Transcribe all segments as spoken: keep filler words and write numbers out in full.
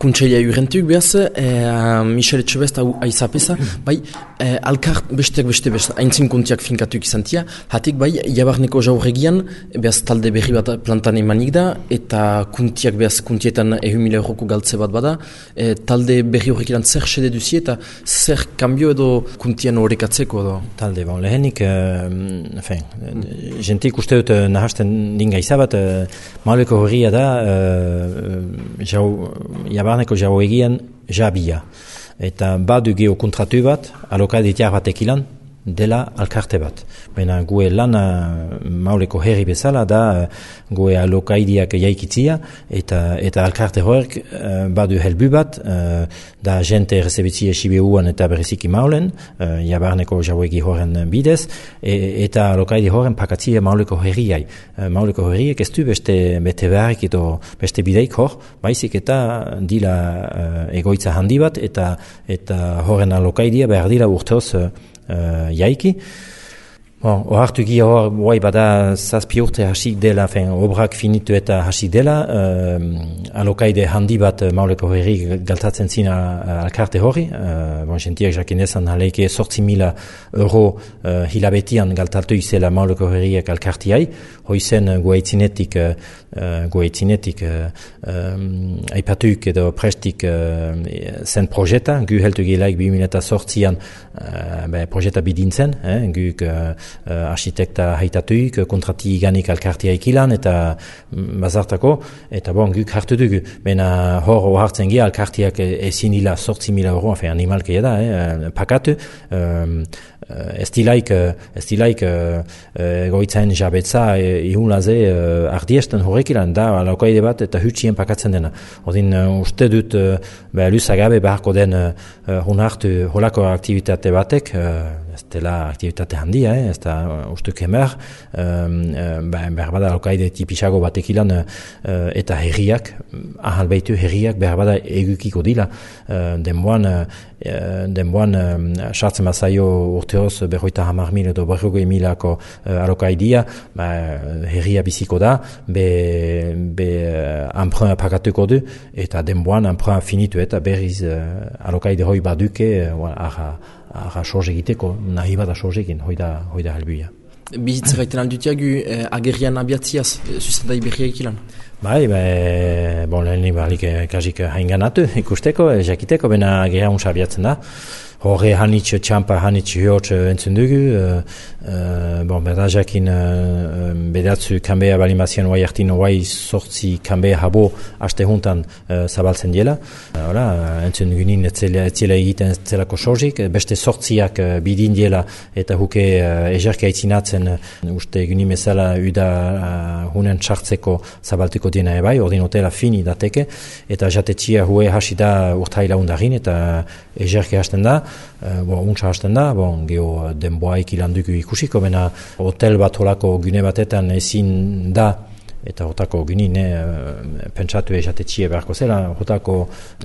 Kuntselia jurentuk behaz, eh, Michel Etxebest hau aizapesa, bai, eh, alkar besteak beste beste, haintzin kuntiak finkatuk izantia, hatik bai, jabarneko jaurregian, behaz talde berri bat plantan emanik da, eta kuntiak behaz kuntietan ehun mila euroko galtze bat bada, eh, talde berri horrek ilan zer sede duzi eta zer kambio edo kuntian horrekatzeko edo? Talde, bon, lehenik, uh, enfin, mm. jentik uste dut uh, nahasten dinga izabat, uh, mauleko horria da, uh, jau, jabarneko jau egian jabia. Eta badu geho kontratu bat, alokaditiak batek ilan, dela alkarte bat. Baina gue lana mauleko herri bezala da gue alokaidiak jaikitzia eta eta alkarte horrek uh, badu helbu bat uh, da jente errezebitzia Sibiuan eta bereziki maulen uh, jabarneko jauegi horren bidez e, eta alokaidi horren pakatzia mauleko herriai. Uh, mauleko herriek ez du beste bete beharrik edo beste bideik hor, baizik eta dila uh, egoitza handi bat eta eta horren alokaidia behar dira urteoz uh, Uh, jaiki. Bon, ohartu gia hor, guai bada zazpi urte hasik dela, fen, obrak finitu eta hasik dela, uh, alokaide handi bat uh, mauleko herri galtatzen zina uh, alkarte horri, uh, bon, jentiak jakinezan haleike sortzi mila euro uh, hilabetian galtatu izela mauleko herriak alkartiai, hoizen uh, guaitzinetik, uh, uh, guaitzinetik uh, um, aipatuik edo prestik uh, zen projeta, gu heltu gilaik bi mila sortzian uh, be, projeta bidintzen, eh, guk uh, Uh, architekta haitatuik, kontrati ganik alkartia ikilan eta bazartako, eta bon, guk hartu dugu. Bena hor hartzen gira, alkartiak ezin dila sortzi mila euro, enfin, animalkeia da, eh, pakatu, um, ez dilaik, ez dilaik uh, egoitzaen jabetza ihunlaze uh, ardiesten horrek ilan, da alaukaide bat eta hutsien pakatzen dena. Odin uh, uste dut uh, luzagabe beharko den uh, hunartu holako aktivitate batek, uh, ez dela aktivitate handia, eh? Ez da uh, ustuk emer, um, uh, behar bada alaukaide tipisago batek ilan uh, eta herriak, ahal behitu herriak behar bada egukiko dila, uh, denboan uh, denboan sartzen uh, bazaio urteoz berroita hamar mil edo berrogei milako uh, alokaidia, ba, herria biziko da, be, be uh, anprun pakatuko du, eta denboan anprun finitu eta berriz uh, alokaide hoi baduke, uh, ara, ara sorge egiteko, nahi bada sorge egin, hoi da, hoi da helbuia. Bizitza gaiten aldutiagu eh, agerrian abiatziaz, zuzendai berriak ilan? Bai, be, bon, lehen balik kasik hainganatu ikusteko, jakiteko, bena agerria unsa abiatzen da. Horre hanitz txampa, hanitz hiotz entzun dugu, uh, uh, bon, berda jakin uh, bedatzu kanbea balimazien oai hartin oai sortzi kanbea habo aste juntan uh, zabaltzen diela. Uh, entzun gunin etzela egiten zelako sorzik, beste sortziak uh, bidin diela eta huke uh, ejerke aitzinatzen uh, uste gunin bezala uda uh, hunen txartzeko zabaltuko diena ebai, ordin hotela fini dateke, eta jatetxia hue hasi da urtaila undarin eta ejerke hasten da. Uh, bon, untsa hasten da, bon, geho denboaik ilanduko ikusiko, bena hotel bat holako gune batetan ezin da, eta hotako gune ne, pentsatu esatetxie beharko zela, hotako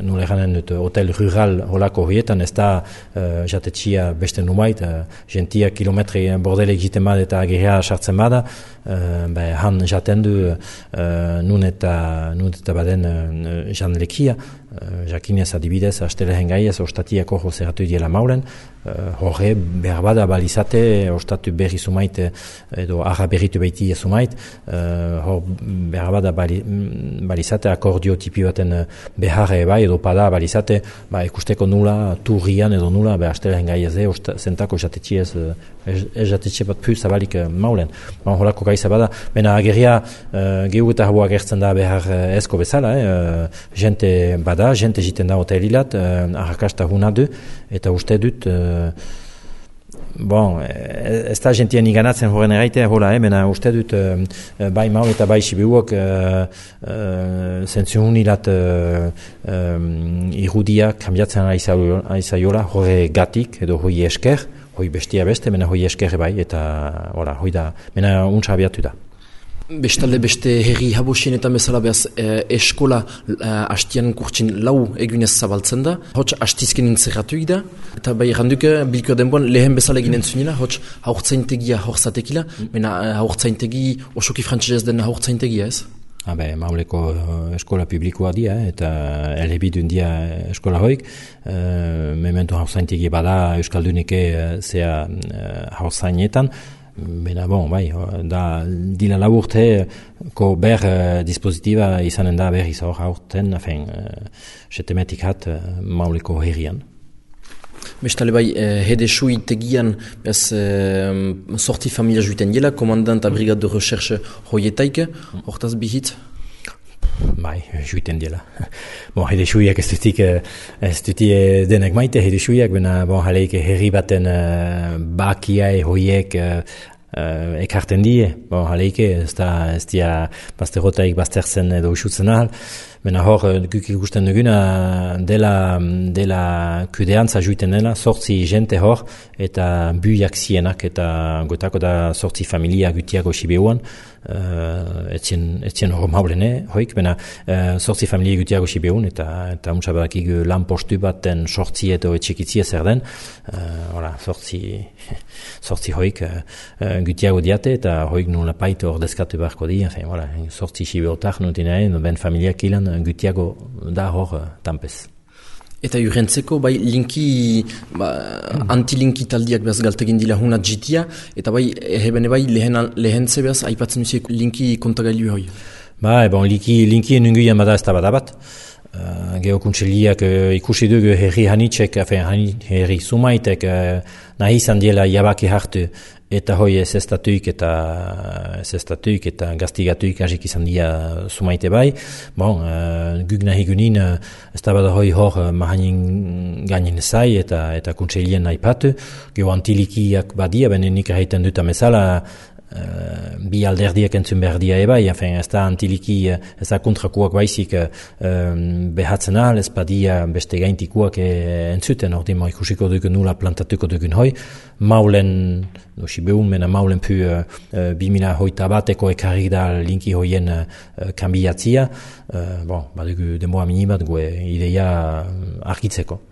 nule ganen dut hotel rural holako horietan ez da uh, jatetxia beste numait, uh, gentia kilometri bordele egiten bada eta agerria sartzen bada, uh, be, han jaten du uh, nun eta, nun eta baden uh, jan lekia, Uh, jakinez adibidez, astelehen gaiez, ostatiako jozeratu diela maulen, uh, horre behar bada balizate, ostatu berri sumait, edo arra berritu behiti sumait, uh, hor behar bada bali, balizate akordio tipi baten beharre bai, edo pada balizate, ba, ikusteko nula, turrian edo nula, be astelehen gaiez, eh, zentako jatetxiez, ez jatetxe bat pu zabalik uh, maulen. Ba, horako gaiza bada, bena agerria uh, gehu eta hau agertzen da behar uh, ezko bezala, eh, uh, jente bada, jente jiten da hotelilat, uh, arrakasta huna du, eta uste dut, uh, bon, ez da jentien iganatzen horren eraitea, hola, eh, mena uste dut, uh, bai maul eta bai sibiuok, uh, uh, zentzu hunilat uh, um, irudia kambiatzen aizaiola, horre gatik, edo hoi esker, hoi bestia beste, mena hoi esker bai, eta, hola, hoi da, mena untsa abiatu da. Bestalde beste herri habosienetan bezala behaz eh, eskola eh, hastian kurtsin lau egunez zabaltzen da. Hots hastizken intzerratuik da. Eta bai erranduke bilko denboan lehen bezala egin entzunila. Hots haurtzaintegia horzatekila. Mena haurtzaintegi osoki frantzesez den haurtzaintegia ez? Habe, mauleko eskola publikoa dia, eta elebidun dia eskola hoik, uh, memento hauzaintiki bada Euskaldunike uh, zea uh, hauzainetan, bena bon, bai, da dila laburte ko ber uh, dispositiba izanen da berriz hor haurten, afen, uh, setemetik hat uh, mauleko herrian. Bestale bai, eh, hedesu itegian bez eh, sorti familia juiten jela, komandant a brigade de recherche hoietaike, hortaz bihitz? Bai, juiten dela. Bon, hedesuiak ez dutik, ez dutik denek maite hedesuiak, bena bon, jaleik herri baten uh, bakiai hoiek uh, uh, ekarten die, bon, jaleik ez da, ez dia bazterrotaik baztertzen edo usutzen ahal. Bena hor, guk ikusten duguna dela, dela kudeantza juiten dela, sortzi jente hor, eta buiak zienak, eta gotako da sortzi familia gutiago sibeuan, uh, etzien, etzien hor maulene, hoik, bena uh, sortzi familia gutiago sibeun, eta eta untsa badakik lan postu baten sortzi edo etxekitzia zer den, uh, ora, sortzi, sortzi hoik uh, gutiago diate, eta hoik nula paito hor deskatu beharko di, enfin, voilà, sortzi sibeotak nutinaen, ben familiak ilan, gutiago da hor uh, tampez. Eta urrentzeko, bai, linki, ba, mm. antilinki taldiak behaz galtegin dila hunat jitia, eta bai, ehebene bai, lehen, lehen zebaz, aipatzen duziek linki kontagailu hoi. Ba, bon, linki, linki enunguian bada ez da badabat. Uh, Geokuntseliak uh, ikusi dugu herri hanitzek, herri sumaitek uh, nahi izan diela jabaki hartu, eta hoi ez estatuik eta ez estatuik eta gaztigatuik hasik izan dia sumaite bai. Bon, uh, guk nahi gunin uh, ez da bada hoi hor uh, mahanin gainin zai eta eta kuntselien nahi patu. Geo antilikiak badia, benen nik haiten dut amezala, Uh, bi alderdiak entzun behar dia ebai, enfin, ez da antiliki, ez da kontrakuak baizik uh, behatzen ahal, ez badia beste gaintikuak eh, entzuten, ordi ma ikusiko dugun nula plantatuko dugun hoi, maulen, no sibeun mena maulen pu uh, uh, bimila hoita bateko ekarrik da linki hoien uh, kambiatzia, uh, bon, badugu demoa minibat gue ideia argitzeko.